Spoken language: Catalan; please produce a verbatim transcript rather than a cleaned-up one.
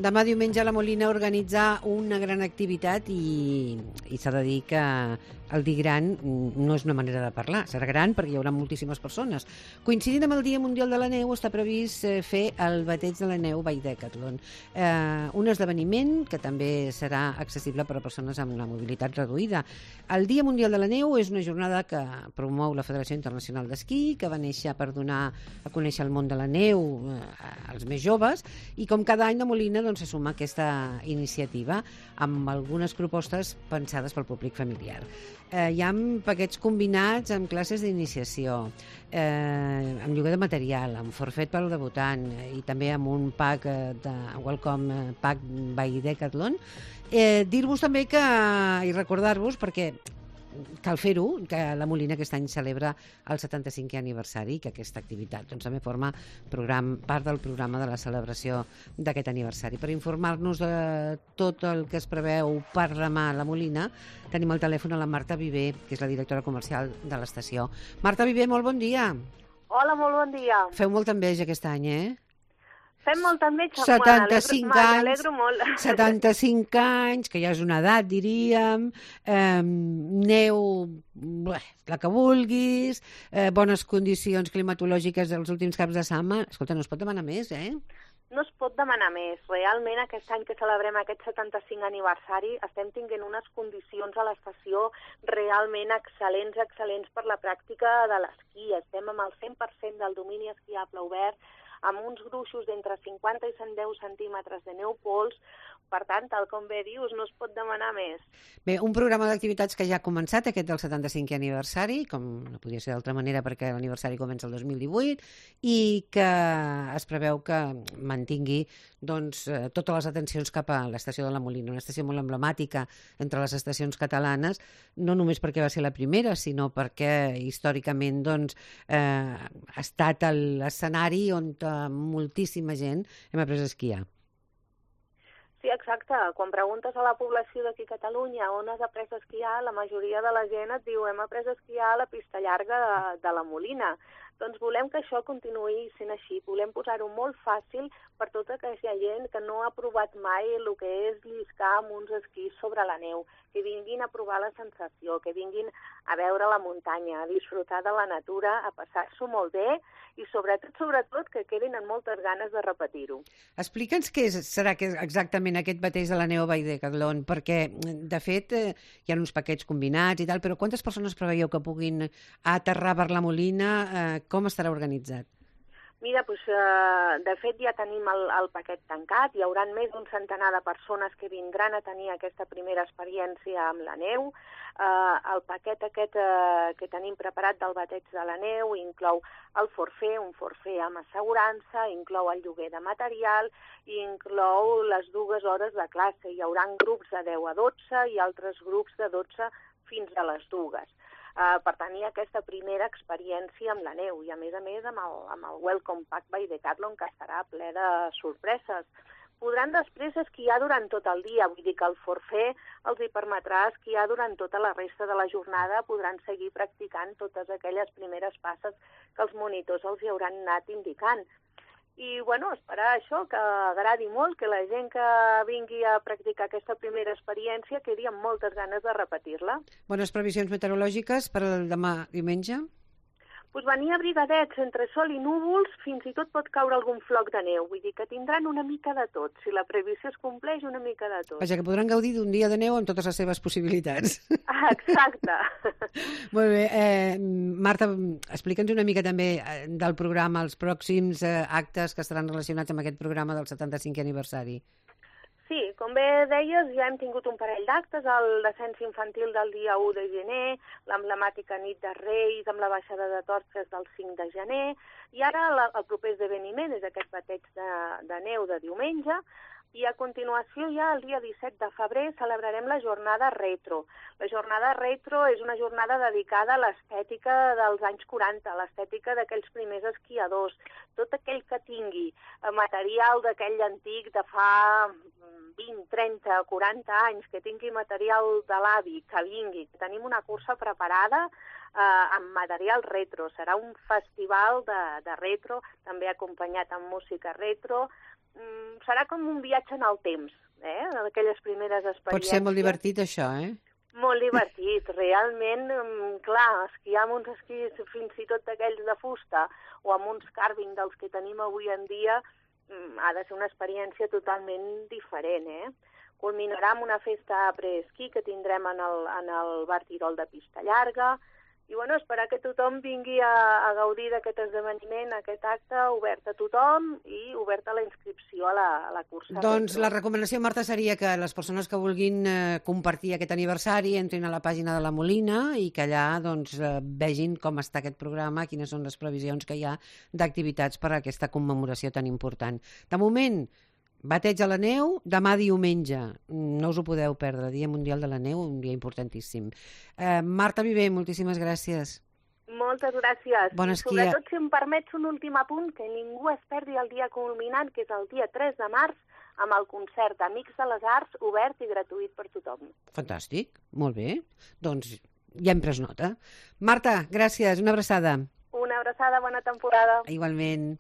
demà diumenge a la Molina organitzar una gran activitat i, i s'ha de dir que el dir gran no és una manera de parlar, serà gran perquè hi haurà moltíssimes persones. Coincidint amb el Dia Mundial de la Neu està previst fer el bateig de la neu by Decathlon, eh, un esdeveniment que també serà accessible per a persones amb la mobilitat reduïda. El Dia Mundial de la Neu és una jornada que promou la Federació Internacional d'Esquí, que va néixer per donar a conèixer el món de la neu eh, als més joves, i com cada any la Molina doncs, se suma a aquesta iniciativa amb algunes propostes pensades pel públic familiar. Eh, hi ha paquets combinats amb classes d'iniciació, eh, amb lloguer de material, amb forfet pel debutant eh, i també amb un pack eh, de Welcome Pack by Decathlon. Eh, dir-vos també que, i recordar-vos, perquè cal fer-ho, que la Molina aquest any celebra el setanta-cinquè aniversari, que aquesta activitat doncs, també forma program, part del programa de la celebració d'aquest aniversari. Per informar-nos de tot el que es preveu per demà a la Molina, tenim al telèfon a la Marta Viver, que és la directora comercial de l'estació. Marta Viver, molt bon dia. Hola, molt bon dia. Feu molta enveja aquest any, eh? Fem molta enveja, setanta-cinc anys, molt. setanta-cinc anys, que ja és una edat, diríem, eh, neu, bé, la que vulguis, eh, bones condicions climatològiques els últims caps de setmana. Escolta, no es pot demanar més, eh? No es pot demanar més. Realment, aquest any que celebrem aquest setanta-cinc aniversari, estem tinguent unes condicions a l'estació realment excel·lents, excel·lents per la pràctica de l'esquí. Estem amb el cent per cent del domini esquiable obert, amb uns gruixos d'entre cinquanta i cent deu centímetres de neu pols. Per tant, tal com bé dius, no es pot demanar més. Bé, un programa d'activitats que ja ha començat, aquest del setanta-cinquè aniversari, com no podia ser d'altra manera perquè l'aniversari comença el dos mil divuit, i que es preveu que mantingui doncs, totes les atencions cap a l'estació de la Molina, una estació molt emblemàtica entre les estacions catalanes, no només perquè va ser la primera, sinó perquè històricament doncs, eh, ha estat l'escenari on moltíssima gent hem après a esquiar. Sí, exacte. Quan preguntes a la població d'aquí a Catalunya on has après a esquiar, la majoria de la gent et diu hem après a esquiar a la pista llarga de, de la Molina. Doncs volem que això continuï sent així. Volem posar-ho molt fàcil per tota aquella gent que no ha provat mai el que és lliscar amb uns esquís sobre la neu, que vinguin a provar la sensació, que vinguin a veure la muntanya, a disfrutar de la natura, a passar-s'ho molt bé i sobretot, sobretot, que quedin amb moltes ganes de repetir-ho. Explica'ns què és, serà que exactament aquest bateig de la neu by Decathlon, perquè, de fet, eh, hi ha uns paquets combinats i tal, però quantes persones preveieu que puguin aterrar per la Molina? Eh, com estarà organitzat? Mira, doncs, eh, de fet ja tenim el, el paquet tancat, hi haurà més d'un centenar de persones que vindran a tenir aquesta primera experiència amb la neu. Eh, el paquet aquest eh, que tenim preparat del bateig de la neu inclou el forfait, un forfait amb assegurança, inclou el lloguer de material i inclou les dues hores de classe. Hi haurà grups de deu a dotze i altres grups de dotze fins a les dues. Uh, per tenir aquesta primera experiència amb la neu i, a més a més, amb el, amb el Welcome Pack by Decathlon, que estarà ple de sorpreses. Podran després esquiar durant tot el dia, vull dir que el forfait els hi permetrà esquiar durant tota la resta de la jornada, podran seguir practicant totes aquelles primeres passes que els monitors els hi hauran anat indicant. I, bueno, esperar això, que agradi molt, que la gent que vingui a practicar aquesta primera experiència quedi amb moltes ganes de repetir-la. Bones previsions meteorològiques per demà diumenge? Pues venir abrigadets entre sol i núvols, fins i tot pot caure algun floc de neu. Vull dir que tindran una mica de tot. Si la previsió es compleix, una mica de tot. Vaja, que podran gaudir d'un dia de neu amb totes les seves possibilitats. Ah, exacte. Molt bé. Eh, Marta, explica'ns una mica també del programa, els pròxims eh, actes que estaran relacionats amb aquest programa del setanta-cinquè aniversari. Sí, com bé deies, ja hem tingut un parell d'actes, el descens infantil del dia u de gener, l'emblemàtica nit de Reis amb la baixada de torxes del cinc de gener, i ara la, el proper esdeveniment és aquest bateig de, de neu de diumenge, i a continuació ja el dia disset de febrer celebrarem la jornada retro. La jornada retro és una jornada dedicada a l'estètica dels anys quaranta, l'estètica d'aquells primers esquiadors, tot aquell que tingui material d'aquell antic de fa vint, trenta, quaranta anys, que tingui material de l'avi, que vingui, que tenim una cursa preparada eh, amb material retro. Serà un festival de, de retro, també acompanyat amb música retro, mm, serà com un viatge en el temps, eh? Aquelles primeres experiències. Pot ser molt divertit, això, eh? Molt divertit, realment, clar, esquiar amb uns esquís fins i tot d'aquells de fusta o amb uns carving dels que tenim avui en dia ha de ser una experiència totalment diferent, eh? Culminarà amb una festa preesquí que tindrem en el, en el Bar Tirol de Pista Llarga, i bueno, esperar que tothom vingui a, a gaudir d'aquest esdeveniment, aquest acte, obert a tothom i obert a la inscripció a la, a la cursa. Doncs la recomanació, Marta, seria que les persones que vulguin eh, compartir aquest aniversari entrin a la pàgina de la Molina i que allà doncs, eh, vegin com està aquest programa, quines són les previsions que hi ha d'activitats per a aquesta commemoració tan important. De moment, bateig a la neu, demà diumenge. No us ho podeu perdre, Dia Mundial de la Neu, un dia importantíssim. Eh, Marta Viver, moltíssimes gràcies. Moltes gràcies. Bon I esquí. sobretot, si em permets un últim apunt, que ningú es perdi el dia culminant, que és el dia tres de març, amb el concert Amics de les Arts, obert i gratuït per tothom. Fantàstic, molt bé. Doncs ja hem pres nota. Marta, gràcies, una abraçada. Una abraçada, bona temporada. Igualment.